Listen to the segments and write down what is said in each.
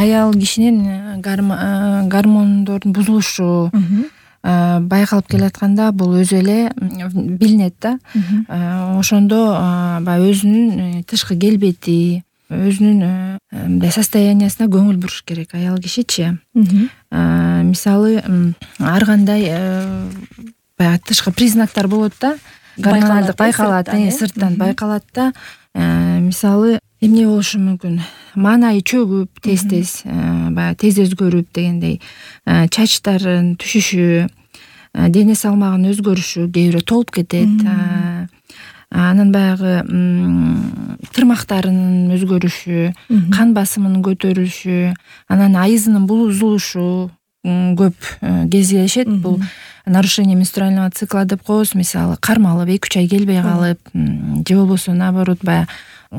аял кишинин гормондордун бузулушу байкалып келатканда бул өзү эле билинет да. Ошондо баягы өзүнүн тышкы келбети, өзүнүн мындай состояниясына көңүл буруш керек аял кишичи. Мисалы ар кандай баягы тышкы признактар болот да. Гормоналдык байкалат, сырттан байкалат да. Мисалы эмне болушу мүмкүн? Маанайы чөгүп тез баягы тез өзгөрүп дегендей, чачтардын түшүшү, дене салмагынын өзгөрүшү, кээ бирөө толуп кетет. Анан баягы тырмактарынын өзгөрүшү, кан басымынын көтөрүлүшү, анан айызынын бузулушу көп кездешет. Бул нарушение менструального цикла деп коебуз. Мисалы кармалып 2-3 ай келбей калып, же болбосо наоборот баягы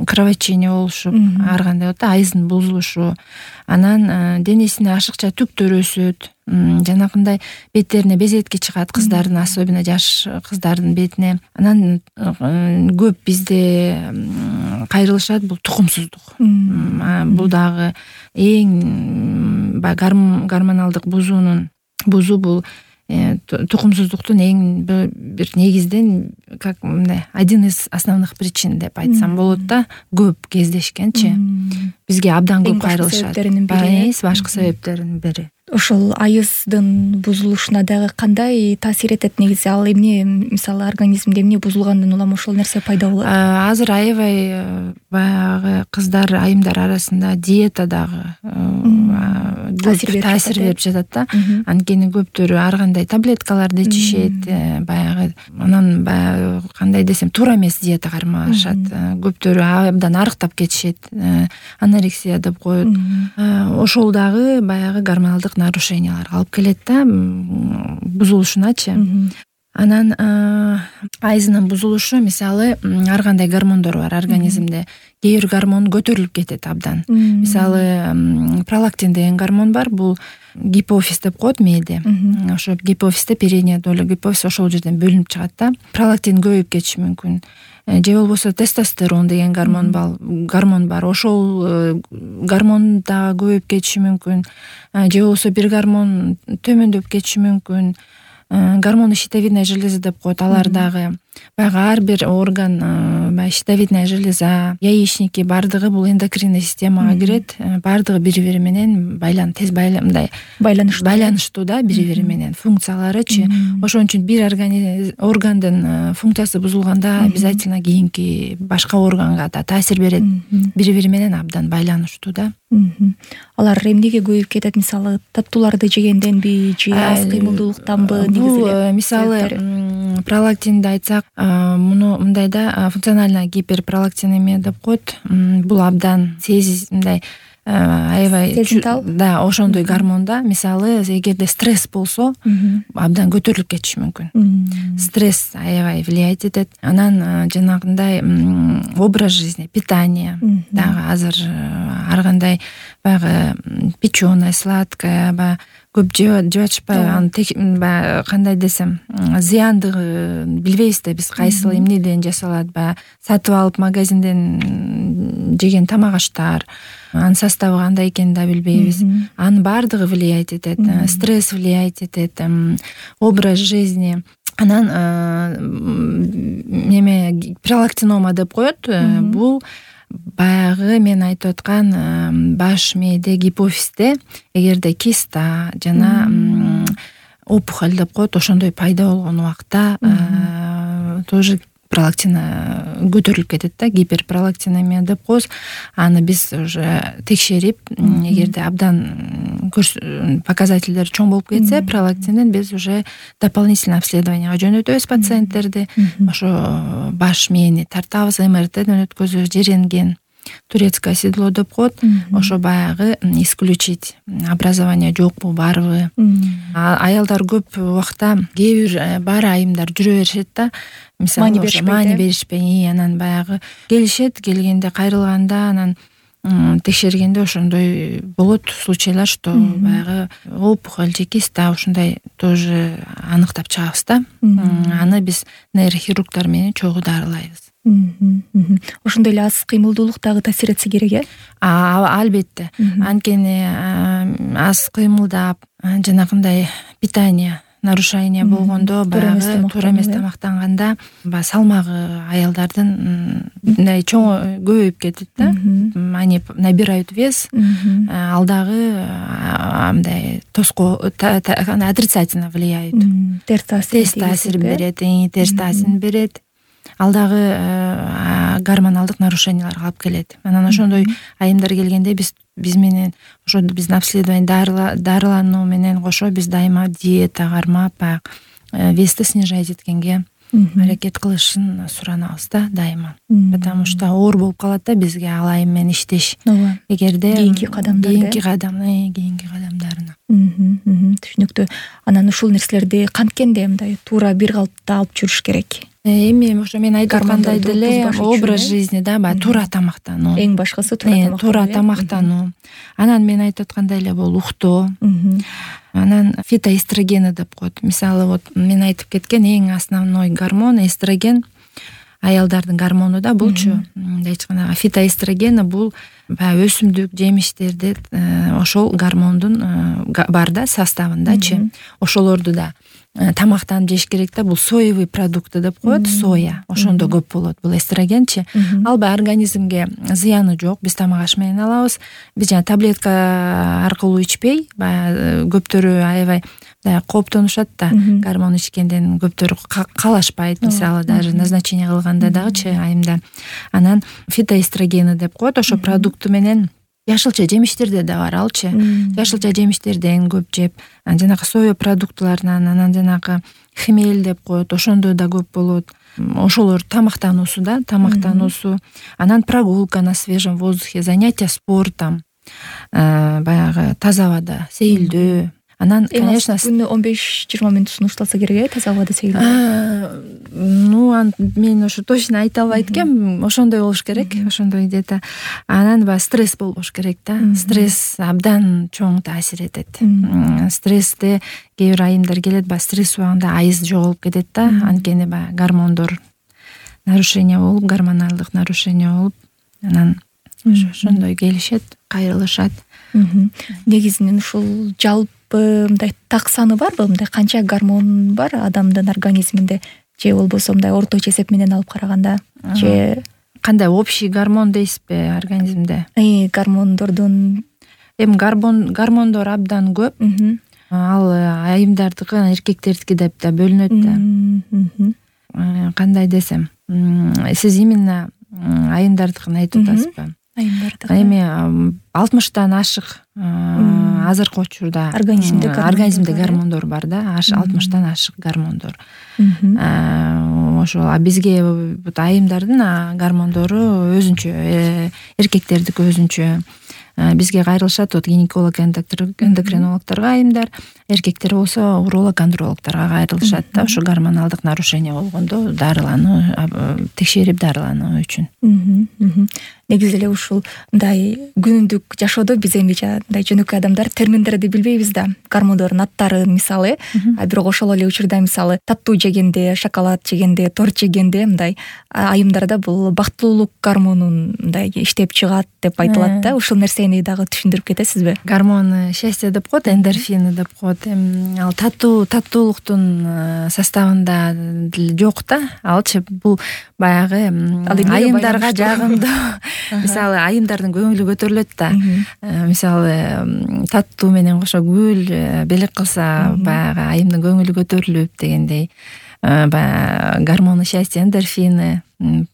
кровотечение болушуп, ар кандай болот да, айыздын бузулушу. Анан денесине ашыкча түктөр өсөт. Жанакындай беттерине безетки чыгат кыздардын, особенно жаш кыздардын бетине. Анан көп бизде кайрылышат бул тукумсуздук. Бул дагы эң гормоналдык бузуу бул тукумсуздуктун эң бир негизден, как мындай, один из основных причин деп айтсам болот да. Көп кездешкенчи. Бизге абдан көп кайрылышат. Башкы себептеринин бири. Ошол айыздын бузулушуна дагы кандай таасир этет негизи? Ал эмне, мисалы организмде эмне бузулгандан улам ошол нерсе пайда болот? Азыр аябай баягы кыздар, айымдар арасында диета дагы таасир берип жатат да. Анткени көптөрү ар кандай таблеткаларды ичишет, баягы анан баягы кандай десем, туура эмес диета кармашат. Көптөрү абдан арыктап кетишет, анорексия деп коет. Ошол дагы баягы гормоналдык нарушенияларга алып келет да, бузулушуначы. Анан айызынын бузулушу, мисалы, ар кандай гормондор бар организмде. Кээ бир гормон көтөрүлүп кетет абдан. Мисалы, пролактин деген гормон бар, бул гипофиз деп коет мээде. Ошо гипофизде передняя доля гипофиз ошол жерден бөлүнүп чыгат да. Пролактин көбөйүп кетиши мүмкүн. Же болбосо тестостерон деген гормон бар. Ошол гормон да көбөйүп кетиши мүмкүн. Же болбосо бир гормон төмөндөп кетиши мүмкүн. Гормоны щитовидная железа деп коет. Алар дагы баягы ар бир орган, щитовидная железа, яичники бардыгы бул эндокринный системага кирет. Бардыгы бири-бири менен байланыштуу да, бири-бири менен функцияларычы. Ошон үчүн бир органдын функциясы бузулганда обязательно кийинки башка органга да таасир берет. Бири-бири менен абдан байланыштуу да. Алар эмнеге көбөйүп кетет? Мисалы, таттууларды жегенденби же аз кыймылдуулуктанбы? Бул мисалы пролактинди айтсак, муну мындай да, функциональная гиперпролактинемия деп коет. Бул абдан мындай аябай сезимтал, да, ошондой гормон да. Мисалы, эгерде стресс болсо, абдан көтөрүлүп кетиши мүмкүн. Стресс аябай влиять этет. Анан жанагындай образ жизни, питание дагы азыр ар кандай баягы печеное, сладкое, баягы көп жеп атышпайбы, аны баягы кандай десем, зыяндыгын билбейбиз да биз, кайсыл эмнеден жасалат, баягы сатып алып магазинден жеген тамак аштар, анын составы кандай экенин да билбейбиз. Анын баардыгы влиять этет, стресс влиять этет, образ жизни. Анан пролактинома деп коет. Бул баягы мен айтып аткан баш мээде гипофизде эгерде киста жана опухоль деп коет, ошондой пайда болгон убакта тоже пролактина көтөрүлүп кетет да, гиперпролактинемия деп коебуз. Аны биз уже текшерип, эгерде абдан показательдер чоң болуп кетсе пролактинден, биз уже дополнительный обследованияга жөнөтөбүз пациенттерди. Ошо баш мээни тартабыз, МРТден өткөзөбүз, же рентген, турецкое седло деп коет. Ошо баягы исключить образование жокпу, барбы. Аялдар көп убакта, кээ бир баары айымдар жүрө беришет да. Мисалы, маани беришпей, анан баягы келишет, келгенде кайрылганда, анан текшергенде ошондой болот случайлар, что баягы опухоль же киста ушундай тоже аныктап чыгабыз да. Аны биз нейрохирургдар менен чогуу дарылайбыз. Ошондой эле аз кыймылдуулук дагы таасир этсе керек, албетте. Анткени аз кыймылдап, жанагындай питание нарушение болгондо, баягы туура эмес тамактанганда баягы салмагы аялдардын мындай чоң көбөйүп кетет да. Они набирают вес, ал дагы мындай отрицательно влияет. Терс таасир берет, терс таасир берет. Ал дагы гормоналдык нарушенияларга алып келет. Анан ошондой айымдар келгенде биз менен ошо биздин обследование дарылануу менен кошо биз дайыма диета кармап, баягы вести снижать эткенге аракет кылышын суранабыз да дайыма. Потому что оор болуп калат да бизге ал айым менен иштеш. Эгерде кийинки кадамдарына. Түшүнүктүү. Анан ушул нерселерди канткенде мындай туура бир калыпта алып жүрүш керек. Эми ошо мен айтып аткандай деле образ жизни да, баягы туура тамактануу. Эң башкысы туура тамактануу. Анан мен айтып аткандай эле бул уктоо. Анан фитоэстрогени деп коет. Мисалы вот мен айтып кеткен эң основной гормон эстроген, аялдардын гормону да булчу. Мындайча айтканда фитоэстрогени бул баягы өсүмдүк жемиштерде ошол гормондун бар да составындачы. Ошолорду да тамактанып жеш керек да. Бул соевый продукты деп коет, соя. Ошондо көп болот бул эстрогенчи. Ал баягы организмге зыяны жок. Биз тамак аш менен алабыз. Биз жана таблетка аркылуу ичпей, баягы көптөрү аябай кооптонушат да. Гормон ичкенден көптөрү калашпайт. Мисалы даже назначение кылганда дагычы айымда. Анан фитоэстрогени деп коет. Ошо продукты менен жашылча жемиштерде да бар алчы. Жашылча жемиштерден көп жеп, жанагы соя продуктыларынан, анан жанагы хмель деп коет, ошондо да көп болот. Ошолор тамактануусу да, анан прогулка на свежем воздухе, занятия спортом, баягы таза абада сейилдөө. Анан, конечно, күнүнө 15-20 мүнөт сунушталса керек, таза абада сейилдөө. Мен ошо точно айта албайт экенмин. Ошондой болуш керек, ошондой где-то. Анан баягы стресс болбош керек да. Стресс абдан чоң таасир этет. Стрессте кээ бир айымдар келет, баягы стресс убагында айыз жоголуп кетет да. Анткени баягы гормондор нарушение болуп, гормоналдык нарушение болуп, анан ошондой келишет, кайрылышат. Негизинен ушул жалпы мындай так саны барбы? Мындай канча гормон бар адамдын организминде? Же болбосо мындай орточо эсеп менен алып караганда, же кандай общий гормон дейсизби организмде? Гормондордун гормондор абдан көп. Ал айымдардыкы, эркектердики деп да бөлүнөт да. Кандай десем, сиз именно айымдардыкын айтып атасызбы? Эми 60тан ашык азыркы учурда организмде гормондор бар да, 60тан ашык гормондор. Ошол бизге айымдардын гормондору өзүнчө, эркектердики өзүнчө. Бизге кайрылышат гинеколог, эндокринологторго айымдар, эркектер болсо уролог, андрологторго кайрылышат да. Ошо гормоналдык нарушение болгондо дарылануу, текшерип дарылануу үчүн. Негизи эле ушул мындай күнүмдүк жашоодо биз эми мындай жөнөкөй адамдар терминдерди билбейбиз да. Гормондордун аттарын мисалы, бирок ошол эле учурда мисалы таттуу жегенде, шоколад жегенде, торт жегенде мындай айымдарда бул бактылуулук гормонун мындай иштеп чыгат деп айтылат да. Ушул нерсени дагы түшүндүрүп кетесизби? Гормон счастья деп коет, эндорфины деп коет. Ал таттуулуктун составында жок да. Алчы бул баягы айымдарга жагымдуу. Мисалы айымдардын көңүлү көтөрүлөт да. Мисалы таттуу менен кошо гүл белек кылса, баягы айымдын көңүлү көтөрүлүп дегендей. Баягы гормоны счастья, эндорфины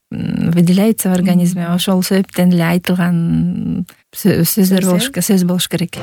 выделяются в организме. Ошол себептен эле айтылган сөз болуш керек.